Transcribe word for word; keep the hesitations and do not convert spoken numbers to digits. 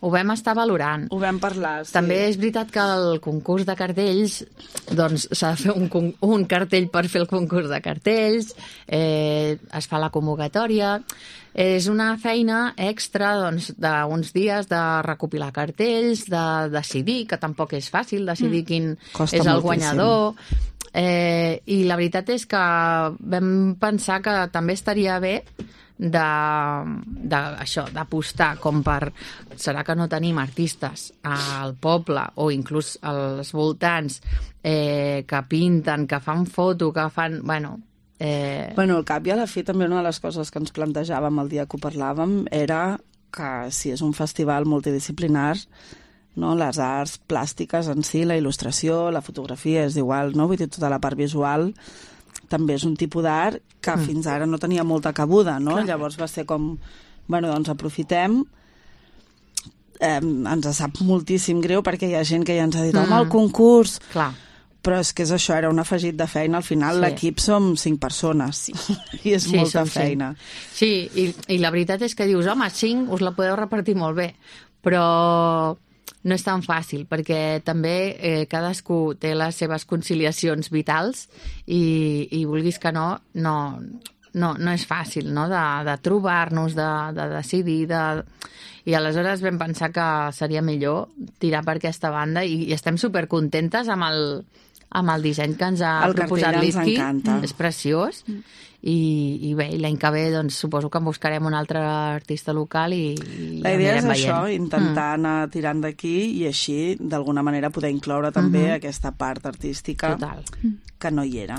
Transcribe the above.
ho vam estar valorant. Ho vam parlar, sí. També és veritat que el concurs de cartells, doncs s'ha de fer un, un cartell per fer el concurs de cartells, eh, es fa la convocatòria. És una feina extra doncs, d'uns dies de recopilar cartells, de decidir, que tampoc és fàcil decidir quin Costa és el moltíssim. guanyador. Eh, I la veritat és que vam pensar que també estaria bé de, de això, d'apostar com per... Serà que no tenim artistes al poble o inclús als voltants eh, que pinten, que fan foto, que fan... Bueno, eh... bueno, al cap i a la fi també una de les coses que ens plantejàvem el dia que ho parlàvem era que si és un festival multidisciplinar, no? Les arts plàstiques en si, la il·lustració, la fotografia, és igual, no? Vull dir, tota la part visual també és un tipus d'art que mm. fins ara no tenia molta cabuda, no? Clar. Llavors va ser com, bueno, doncs aprofitem, eh, ens sap moltíssim greu perquè hi ha gent que ja ens ha dit, mm. home, el concurs... Clar. Però és que és això, era un afegit de feina. Al final Sí. l'equip som cinc persones sí. i és Sí, molta som feina. cinc. Sí, i, i la veritat és que dius, home, cinc us la podeu repartir molt bé, però no és tan fàcil, perquè també eh, cadascú té les seves conciliacions vitals i, i vulguis que no, no, no, no és fàcil, no?, de, de trobar-nos, de, de decidir, de... I aleshores vam pensar que seria millor tirar per aquesta banda i, i estem supercontentes amb el, amb el disseny que ens ha El proposat cartell ens l'Izky. encanta. És preciós. I, i bé, l'any que ve doncs, suposo que en buscarem un altre artista local i, i La idea és anirem això, veient. intentar mm. anar tirant d'aquí i així, d'alguna manera, poder incloure també Mhm. aquesta part artística Total. que no hi era.